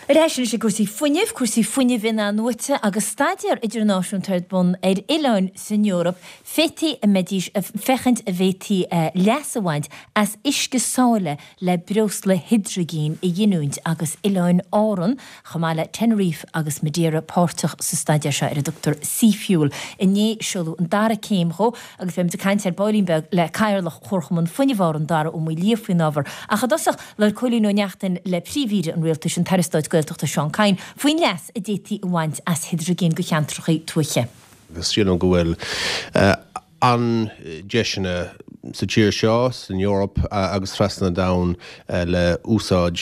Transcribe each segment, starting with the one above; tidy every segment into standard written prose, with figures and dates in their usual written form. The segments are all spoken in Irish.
Ar ais anois ag cúrsaí fuinnimh, cúrsaí fuinnimh in-athnuaite agus staidéar idirnáisiúnta ar bun ar oileáin san Eoraip féadfaidh a mbeidís féachaint an bhféadfaí leas a bhaint as uisce sáile le breosla hidrigine a ghiniúint agus Oileáin Árann chomh maith le Tenerife agus Madeira páirteach sa staidéar seo ar a dtugtar Seafuel. Inné seoladh an dara céim dhó agus beimid ag caint ar baillín beag le Cathaoirleach Chomharchumann Fuinnimh Árann, Dara Ó Maoildhia faoin ábhar. Ach i dtosach, Labhair Cóilín Ó Neachtain le Príomh-Aoire an Rialtais, an tAire Stáit Gaeltachta Seán Kyne, faoin leas a d'fhéadfaí a bhaint as hidrigin do cheantracha tuaithe. Agus sílim go bhfuil an-deiseanna sa tír seo, san Eoraip agus trasna an domhain le úsáid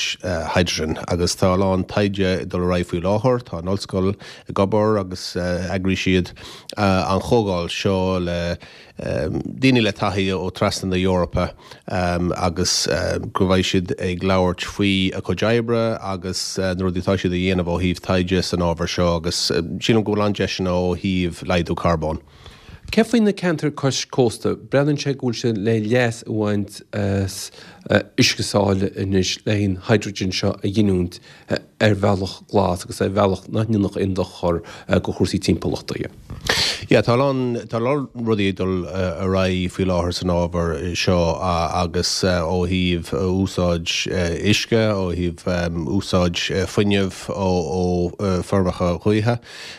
hydrogen. Agus tá a lán taighde ag dul ar aghaidh faoi láthair. Tá an ollscoil ag obair agus eagraíonn siad an chomhdháil seo le daoine le taithí ó trasna na hEorpa agus go mbeidh siad ag labhairt faoi a cuid oibre agus na rudaí atá siad a dhéanamh ó thaobh taighde san ábhar seo agus sílim go bhfuil an-deiseanna ó thaobh laghdú carbóin. Cé faoi na ceantair cois cósta? Breathnaíonn sé go bhfuil sé le leas a bhaint as uisce sáile anois le an hydrogen seo a ghiniúint ar bhealach glas agus ar bhealach nach ndéanfadh aon dochar do chúrsaí timpeallachta. Yeah, tá a lán, tá a lán rudaí ag dul ar aghaidh faoi láthair san ábhar seo agus ó thaobh úsáid uisce, ó thaobh úsáid fuinnimh ó feirmeacha gaoithe.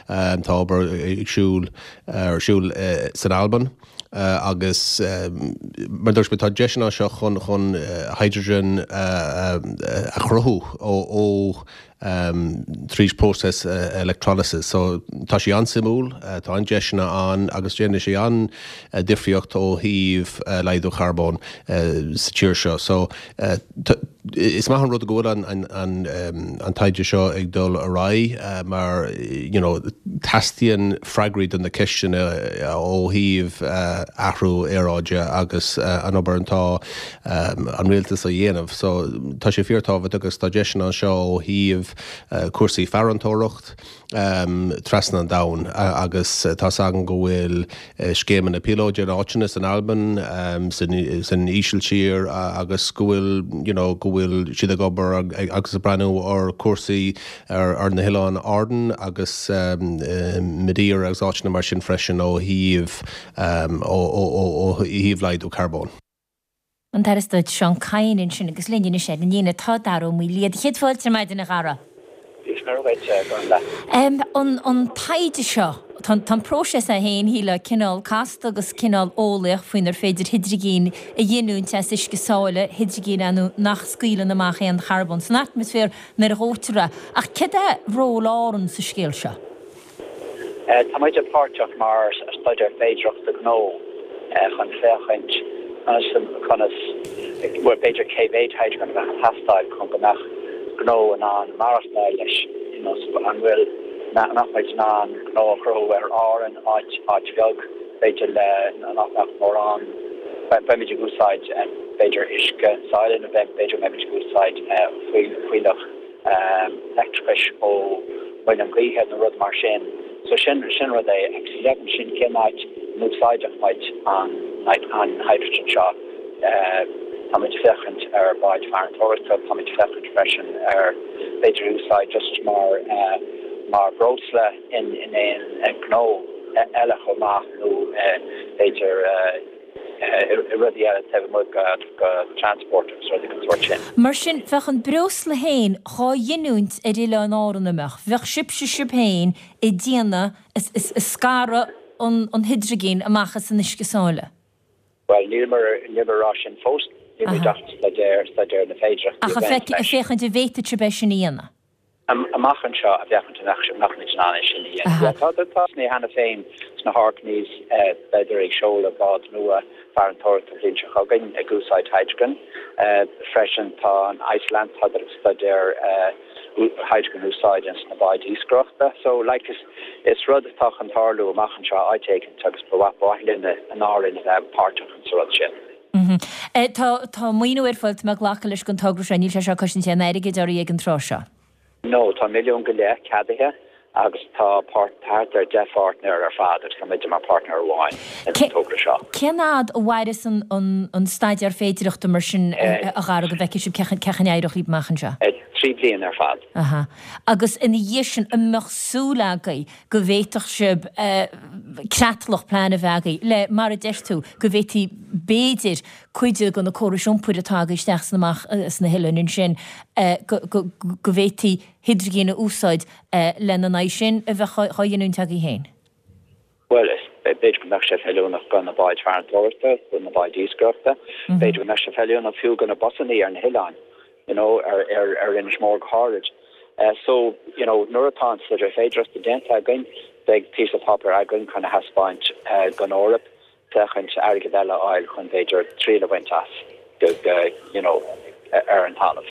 Tá obair ag siúl, ar siúl san Albain. Agus mar a dúirt mé, tá deiseanna anseo chun chun hydrogen a chruthú ó ó tríd próiseas electrolysis. So tá sé an-suimiúil, tá an-deiseanna ann agus déanfaidh sé an-difríocht ó thaobh laghdú charbóin sa tír seo. So Is maith an rud go bhfuil an taighde seo ag dul ar aghaidh mar you know teastaíonn freagraí do na ceisteanna ó thaobh athrú aeráide agus an obair atá an rialtas a dhéanamh. So tá sé fíortábhachtach agus tá deiseanna anseo ó thaobh cúrsaí farantóireacht, trasna an domhain agus tá's againn go bhfuil scéimeanna píolóide in áiteanna san Albain, san Ísiltír agus go bhfuil you know go bhfuil siad ag obair agus ag breathnú ar chúrsaí ar na hOileáin Árann agus Madeira agus áiteanna mar sin freisin ó thaobh ó thaobh laghdú carbóin. An tAire Stáit Seán Kyne ansin agus linn anois ar an líne tá Dara Ó Maoildhia. Céad fáilte ar maidin a Dhara. Dia is Muire dhuit, Gormfhlaith. An an taighde seo, tá an próiseas é féin, shílfeá, cineál casta agus cineál eolaíoch faoinar féidir hidrigin a ghiniúint as uisce sáile, hidrigin ar ndóigh nach scaoileann amach aon charbón san atmaisféar nuair a dhóitear é. Ach céard é ról Árann sa scéal seo? Tá muide páirteach mar staidéar féidearthachta gnó chun féachaint conas, conas, bhuel b'fhéidir cé mhéid hydrogen a bheadh ag teastáil chun go mbeadh gnó in ann maireachtáil leis, you know, so an bhfuil, an mbeadh muid in ann gnó a chruthú ar Árainn, áit, áit bheag, b'fhéidir le, nach mbeadh mórán, beimid ag úsáid b'fhéidir uisce sáile nó b'fhéidir go mbeimid ag úsáid fuílleach. leictreachais ó mhuileann gaoithe nó rud mar sin. So sin, sin rud é. Agus go deimhin sin cén áit a n-úsáidfeadh muid an, an hydrogen seo. Tá muid ag féachaint ar bháid farantóireachta, tá muid ag féachaint freisin ar b'fhéidir úsáid just mar, mar bhreosla in, in aon ghnó eile chomh maith nó b'fhéidir, i rudaí eile taobh amuigh de transport agus rudaí den sórt sin. Mar sin, bheadh an breosla féin dhá ghiniúint ar Oileáin Árann, an mbeadh? Bheadh sibhse sibh féin ag déanamh, ag scaradh an hidrigin amach as an uisce sáile? Bhuel, níleamar ag rá sin fós. Níl muid ach ag staidéar, staidéar na féidearthachtaí a bhaint leis. Ach ag féachaint an bhféadfadh sibh é sin a dhéanamh? Amach anseo a bhféachaint an mbeadh muid in ann é sin a dhéanamh. Tá tosnaithe cheana féin sna hOrkneys, beidar ag seoladh bád nua farantóireachta an bhliain seo chugainn ag úsáid hydrogen. Freisin tá an Iceland, tádar ag staidéar hydrogen a úsáid ins na báid iascaireachta. So like is is rud atá chun tarlú amach anseo áit éicint agus ba mhaith linn in Árainn a bheith páirteach ins an rud sin. Tá tá maoiniú ar fáil, tá mé ag glacadh leis don togra seo, níl sé seo ag cosaint aon airgid oraibh ag an tráth seo. No, tá $1.5 milliún ceadaithe. Agus tá thart ar 10 pháirtnéir ar fad agus tá muide mar páirtnéir amháin ins an togra seo. Cén fhad a mhairfeas an staidéar féidireachta mar sin a Dharragh go bhfeicfidh sibh cén chaoi a n-éireoidh libh amach anseo? 3 bliana ar fad. Aha. Agus ina dhiaidh sin an mbeadh súil agaibh go bhféadfadh sibh creatlach plean a bheith agaibh le, mar a deir tú, go bhféadfaí b'fhéidir cuid de na córais iompair atá agaibh isteach is amach sna hoileáin ansin go bhféadfaí hidrigin a úsáid lena n-aghaidh sin a bheith á ghiniúint agaibh féin? Bhuel, b'fhéidir go mbeadh sé feiliúnach do na báid farantóireachta, do na báid iascaireachta. B'fhéidir go mbeadh sé feiliúnach fiú do na busannaí ar na hoileáin, you know, ar ar Inis Mór go háirid. So, you know, nuair atá an staidéar féidearthachta déanta againn, beidh píosa páipéir againn chun a thaispeáint don Eoraip, féachaint airgead eile a fháil chun b'fhéidir triail a bhaint as go, you know, ar an talamh.